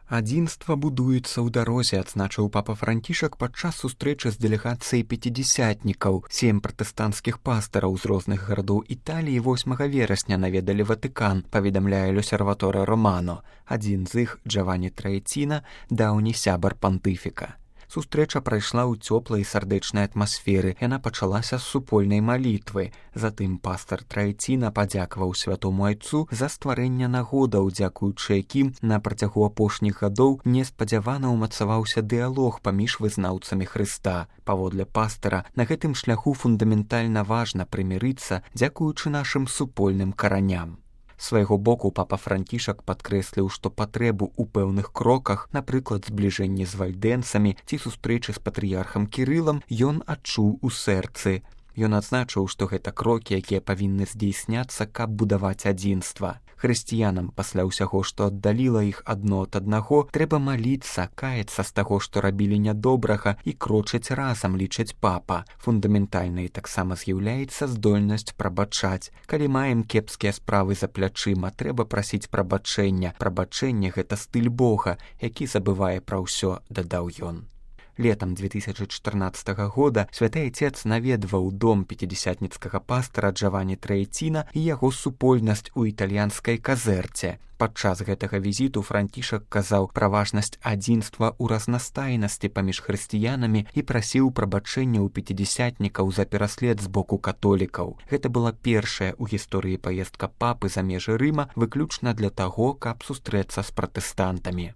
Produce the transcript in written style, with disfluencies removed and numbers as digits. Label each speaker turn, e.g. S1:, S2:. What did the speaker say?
S1: Адзінства будуецца ў дарозе, адзначыў папа Францішак падчас сустрэчы з дэлегацыяй пяцідзясятнікаў. 7 пратэстанцкіх пастараў з розных гарадоў Італіі 8 верасня наведалі Ватыкан, паведамляе L'Osservatore Romano. Адзін з іх, Джавані Траэціна, даўні сябар пантыфіка. Сустрэча прайшла ў цёплай і сардэчнай атмасферы. Яна пачалася з супольнай малітвы. Затым пастар Траэціна падзякаваў святому айцу за стварэнне нагодаў, дзякуючы якім на працягу апошніх гадоў неспадзявана ўмацаваўся дыялог паміж вызнаўцамі Хрыста. Паводле пастара, на гэтым шляху фундаментальна важна прымірыцца, дзякуючы нашым супольным караням. Свайго боку папа Францішак падкрэсліў, што патрэбу ў пэўных кроках, напрыклад, збліжэнні з вальдэнцамі ці сустрэчы з патрыярхам Кірылам, ён адчуў у сэрцы. Ён адзначыў, што гэта крокі, якія павінны здзейсняцца, каб будаваць адзінства. Хрысціянам пасля ўсяго, што аддаліла іх адно ад аднаго, трэба маліцца, каяцца з таго, што рабілі нядобрага, і крочыць разам, лічыць папа. Фундаментальнай таксама з'яўляецца здольнасць прабачаць. Калі маем кепскія справы за плячыма, трэба прасіць прабачэння. Прабачэнне — гэта стыль Бога, які забывае пра ўсё, дадаў ён. Летам 2014 года святы айцец наведваў дом пяцідзясятніцкага пастара Джавані Траэціна і яго супольнасць у італьянскай Казерце. Падчас гэтага візіту Францішак казаў пра важнасць адзінства ў разнастайнасці паміж хрысціянамі і прасіў прабачэння ў пяцідзясятнікаў за пераслед з боку католікаў. Гэта была першая ў гісторыі паездка папы за межы Рыма выключна для таго, каб сустрэцца з пратэстантамі.